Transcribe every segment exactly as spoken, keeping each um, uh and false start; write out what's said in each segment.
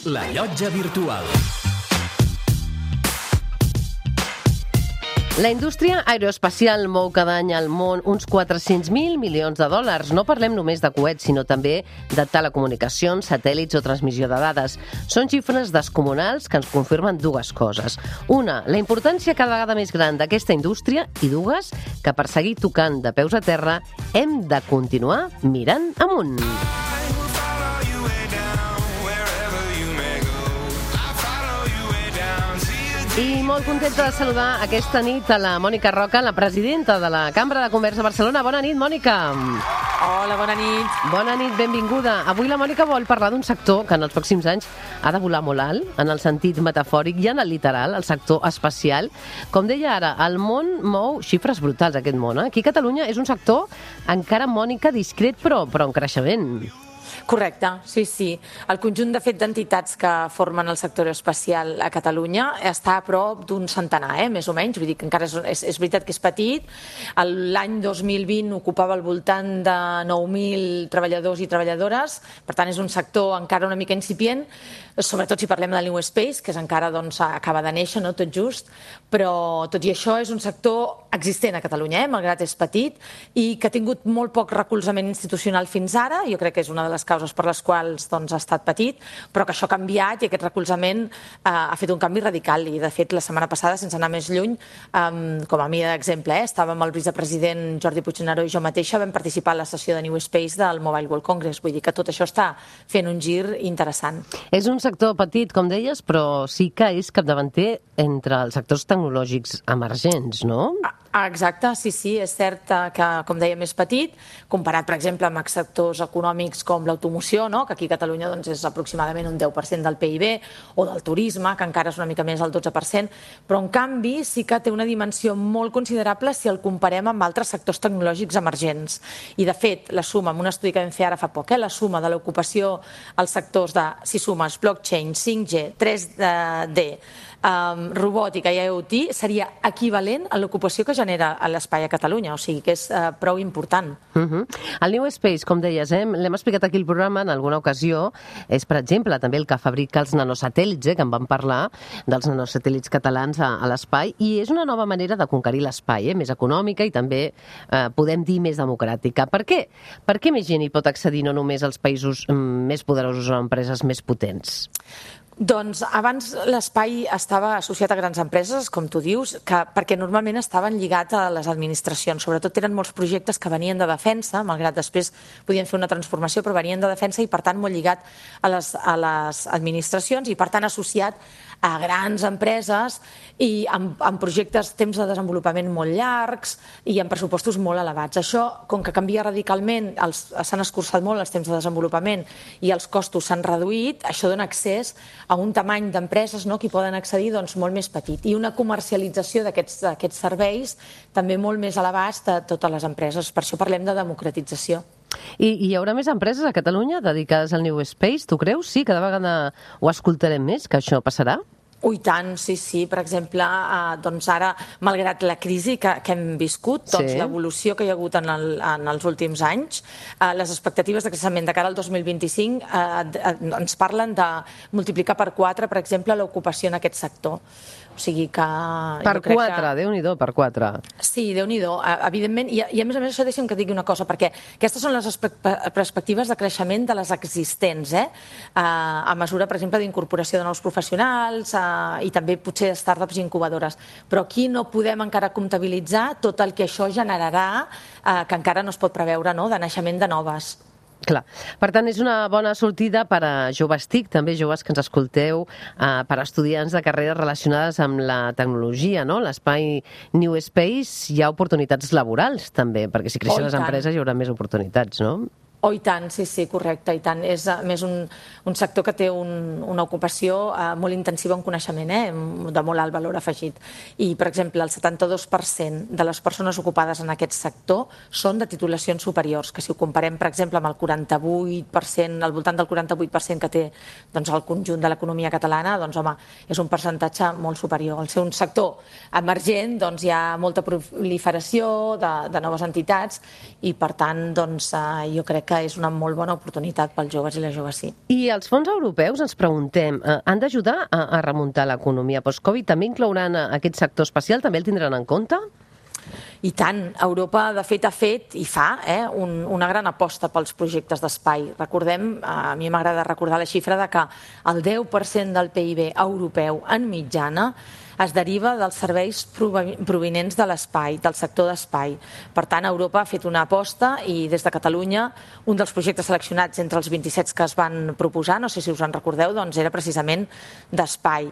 La Llotja Virtual. La indústria aeroespacial mou cada any al món uns quatre-cents mil milions de dòlars. No parlem només de coets, sinó també de telecomunicacions, satèl·lits o transmissió de dades. Són xifres descomunals que ens confirmen dues coses. Una, la importància cada vegada més gran d'aquesta indústria, i dues, que per seguir tocant de peus a terra hem de continuar mirant amunt. I molt contenta de saludar aquesta nit a la Mònica Roca, la presidenta de la Cambra de Comerç de Barcelona. Bona nit, Mònica. Hola, bona nit. Bona nit, benvinguda. Avui la Mònica vol parlar d'un sector que en els pròxims anys ha de volar molt alt, en el sentit metafòric i en el literal, el sector espacial. Com deia ara, el món mou xifres brutals, aquest món. Eh? Aquí a Catalunya és un sector encara, Mònica, discret, però, però en creixement. Correcte, sí, sí. El conjunt, de fet, d'entitats que formen el sector aeroespacial a Catalunya està a prop d'un centenar, eh, més o menys. Vull dir que encara és, és, és veritat que és petit. L'any dos mil vint ocupava al voltant de nou mil treballadors i treballadores. Per tant, és un sector encara una mica incipient, sobretot si parlem de New Space, que és encara doncs, acaba de néixer, no? Tot just. Però, tot i això, és un sector existent a Catalunya, eh, malgrat és petit, i que ha tingut molt poc recolzament institucional fins ara. Jo crec que és una de les causes per les quals doncs, ha estat petit, però que això ha canviat i aquest recolzament eh, ha fet un canvi radical. I, de fet, la setmana passada, sense anar més lluny, eh, com a mi d'exemple, eh, estàvem el vicepresident Jordi Puigneró i jo mateixa vam participar a la sessió de New Space del Mobile World Congress. Vull dir que tot això està fent un gir interessant. És un sector petit, com deies, però sí que és capdavanter entre els sectors tecnològics emergents, no? Ah, exacte, sí, sí, és cert que, com dèiem, és petit, comparat, per exemple, amb sectors econòmics com l'automoció, no? Que aquí a Catalunya doncs, és aproximadament un deu per cent del P I B, o del turisme, que encara és una mica més, el dotze per cent, però en canvi sí que té una dimensió molt considerable si el comparem amb altres sectors tecnològics emergents. I, de fet, la suma, amb un estudi que vam fer ara fa poc, eh, la suma de l'ocupació als sectors de, si sumes, blockchain, cinc G, tres D, Um, robòtica i IoT seria equivalent a l'ocupació que genera a l'espai a Catalunya, o sigui que és uh, prou important. Uh-huh. El New Space, com deies, eh, l'hem explicat aquí al programa en alguna ocasió, és, per exemple, també el que fabrica els nanosatèl·lits, eh, que en vam parlar, dels nanosatèl·lits catalans a, a l'espai, i és una nova manera de conquerir l'espai, eh, més econòmica i també, eh, podem dir, més democràtica. Per què? Per què més gent hi pot accedir, no només als països mm, més poderosos o empreses més potents? Doncs abans l'espai estava associat a grans empreses, com tu dius, que, perquè normalment estaven lligats a les administracions. Sobretot eren molts projectes que venien de defensa, malgrat després podien fer una transformació, però venien de defensa i, per tant, molt lligat a les, a les administracions i, per tant, associat a grans empreses i amb, amb projectes, temps de desenvolupament molt llargs i amb pressupostos molt elevats. Això, com que canvia radicalment, s'han escurçat molt els temps de desenvolupament i els costos s'han reduït, això dona accés a un tamany d'empreses, no, que hi poden accedir doncs, molt més petit i una comercialització d'aquests serveis també molt més a l'abast de totes les empreses. Per això parlem de democratització. I hi haurà més empreses a Catalunya dedicades al New Space, tu creus? Sí, cada vegada ho escoltarem més, que això passarà? Oh, i tant, sí, sí. Per exemple, eh, doncs ara, malgrat la crisi que, que hem viscut, doncs sí. L'evolució que hi ha hagut en, el, en els últims anys, eh, les expectatives de creixement de cara al dos mil vint-i-cinc eh, ens parlen de multiplicar per quatre, per exemple, l'ocupació en aquest sector. O sigui que... Per quatre, que... Déu-n'hi-do, per quatre. Sí, Déu-n'hi-do, evidentment. I, I a més a més, això deixa'm que digui una cosa, perquè aquestes són les perspectives de creixement de les existents, eh? A mesura, per exemple, d'incorporació de nous professionals eh, i també potser de startups i incubadores. Però aquí no podem encara comptabilitzar tot el que això generarà, eh, que encara no es pot preveure, no?, de naixement de noves. Clar. Per tant, és una bona sortida per a joves TIC, també joves que ens escolteu, eh, per a estudiants de carreres relacionades amb la tecnologia, no? L'espai New Space hi ha oportunitats laborals, també, perquè si creixen les empreses hi haurà més oportunitats, no? Oh, i tant, sí, sí, correcte, i tant. És a més un, un sector que té un, una ocupació eh, molt intensiva en coneixement, eh, de molt alt valor afegit. I, per exemple, el setanta-dos per cent de les persones ocupades en aquest sector són de titulacions superiors, que si ho comparem, per exemple, amb el quaranta-vuit per cent, al voltant del quaranta-vuit per cent que té doncs, el conjunt de l'economia catalana, doncs, home, és un percentatge molt superior. Al ser un sector emergent, doncs, hi ha molta proliferació de, de noves entitats i, per tant, doncs, eh, jo crec que és una molt bona oportunitat pels joves i les joves, sí. I els fons europeus, ens preguntem, eh, han d'ajudar a, a remuntar l'economia post-Covid? També inclouran aquest sector espacial? També el tindran en compte? I tant. Europa, de fet, ha fet i fa eh, un, una gran aposta pels projectes d'espai. Recordem, a mi m'agrada recordar la xifra de que el deu per cent del P I B europeu en mitjana es deriva dels serveis provinents de l'espai, del sector d'espai. Per tant, Europa ha fet una aposta i des de Catalunya un dels projectes seleccionats entre els vint-i-set que es van proposar, no sé si us en recordeu, doncs era precisament d'espai.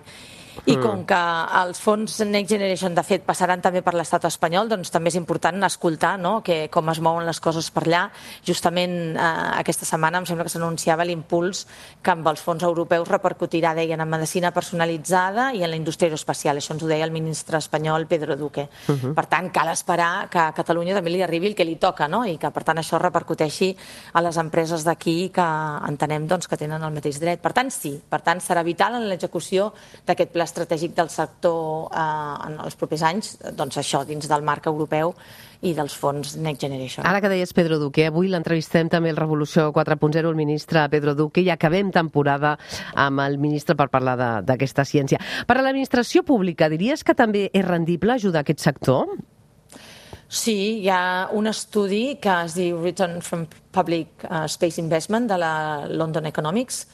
I com que els fons Next Generation, de fet, passaran també per l'estat espanyol, doncs també és important escoltar no? que, com es mouen les coses per allà. Justament eh, aquesta setmana em sembla que s'anunciava l'impuls que amb els fons europeus repercutirà, deien, en medicina personalitzada i en la indústria aeroespacial. Això ens ho deia el ministre espanyol Pedro Duque. Uh -huh. Per tant, cal esperar que a Catalunya també li arribi el que li toca, no? I que, per tant, això repercuteixi a les empreses d'aquí que entenem doncs, que tenen el mateix dret. Per tant, sí. Per tant, serà vital en l'execució d'aquest pla estratègic del sector eh, en els propers anys, doncs això, dins del marc europeu i dels fons Next Generation. Ara que deies Pedro Duque, avui l'entrevistem també al Revolució quatre punt zero, el ministre Pedro Duque, i acabem temporada amb el ministre per parlar d'aquesta ciència. Per a l'administració pública, diries que també és rendible ajudar aquest sector? Sí, hi ha un estudi que es diu Return from Public Space Investment de la London Economics,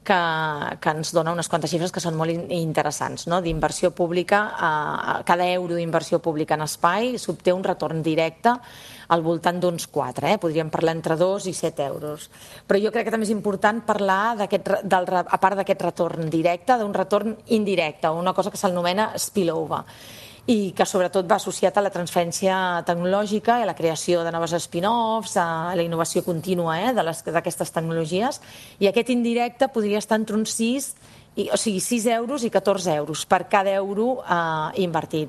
que, que ens dona unes quantes xifres que són molt interessants. No? D'inversió pública, eh, cada euro d'inversió pública en espai s'obté un retorn directe al voltant d'uns quatre, eh? Podríem parlar entre dos i set euros. Però jo crec que també és important parlar, del, a part d'aquest retorn directe, d'un retorn indirecte, una cosa que s'anomena spillover, i que sobretot va associat a la transferència tecnològica i a la creació de noves spin-offs, a la innovació contínua eh, d'aquestes tecnologies, i aquest indirecte podria estar entre uns sis, i, o sigui, sis euros i catorze euros per cada euro eh, invertit.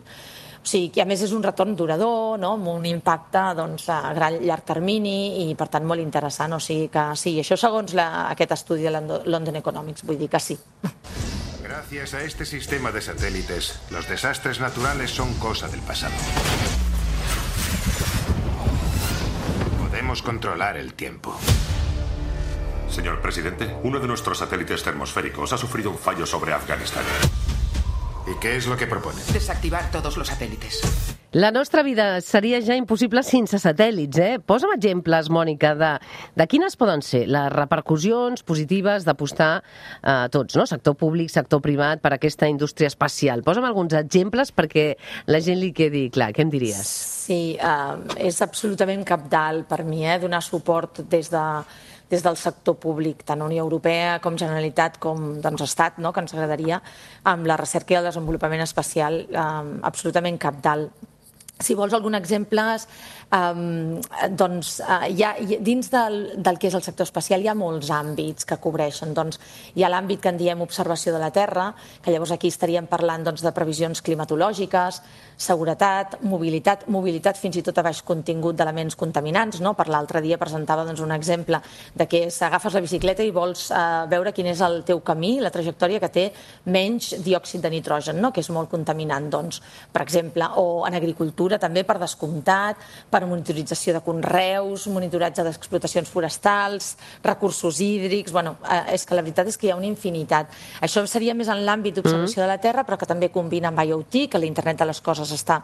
O sigui, que a més és un retorn durador, no? Amb un impacte doncs, a gran llarg termini i per tant molt interessant. O sigui que sí, això segons la, aquest estudi de London Economics, vull dir que sí. Gracias a este sistema de satélites, los desastres naturales son cosa del pasado. Podemos controlar el tiempo. Señor presidente, uno de nuestros satélites termosféricos ha sufrido un fallo sobre Afganistán. ¿Y qué es lo que propone? Desactivar todos los satélites. La nostra vida seria ja impossible sense satèl·lits, eh? Posa'm exemples, Mònica, de, de quines poden ser les repercussions positives d'apostar a eh, tots, no? Sector públic, sector privat, per aquesta indústria espacial. Posa'm alguns exemples perquè la gent li quedi clar. Què em diries? Sí, eh, és absolutament cabdal per mi, eh, donar suport des de des del sector públic, tant Unió Europea com Generalitat com doncs, Estat, no? Que ens agradaria, amb la recerca i el desenvolupament espacial eh, absolutament cabdal. Si vols algun exemple, um, doncs uh, hi ha, dins del, del que és el sector espacial hi ha molts àmbits que cobreixen. Doncs, hi ha l'àmbit que en diem observació de la Terra, que llavors aquí estaríem parlant doncs, de previsions climatològiques, seguretat, mobilitat, mobilitat fins i tot a baix contingut d'elements contaminants. No? Per l'altre dia presentava doncs, un exemple de que s'agafes la bicicleta i vols uh, veure quin és el teu camí, la trajectòria que té menys diòxid de nitrogen, no? Que és molt contaminant, doncs, per exemple, o en agricultura també per descomptat, per monitorització de conreus, monitoratge d'explotacions forestals, recursos hídrics. Bueno, eh, és que la veritat és que hi ha una infinitat. Això seria més en l'àmbit d'observació de la Terra, però que també combina amb I O T, que l'Internet de les Coses està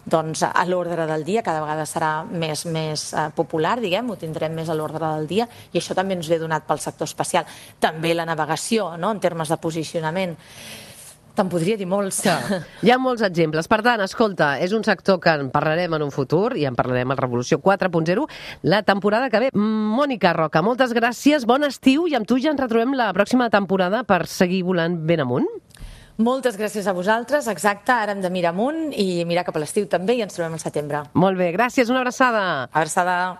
doncs, a l'ordre del dia, cada vegada serà més, més eh, popular, diguem, ho tindrem més a l'ordre del dia, i això també ens ve donat pel sector espacial. També la navegació, no?, en termes de posicionament. Te'n podria dir molts. Hi ha molts exemples. Per tant, escolta, és un sector que en parlarem en un futur i en parlarem al Revolució quatre punt zero la temporada que ve. Mònica Roca, moltes gràcies, bon estiu, i amb tu ja ens retrobem la pròxima temporada per seguir volant ben amunt. Moltes gràcies a vosaltres, exacte, ara hem de mirar amunt i mirar cap a l'estiu també i ens trobem al setembre. Molt bé, gràcies, una abraçada. Abraçada.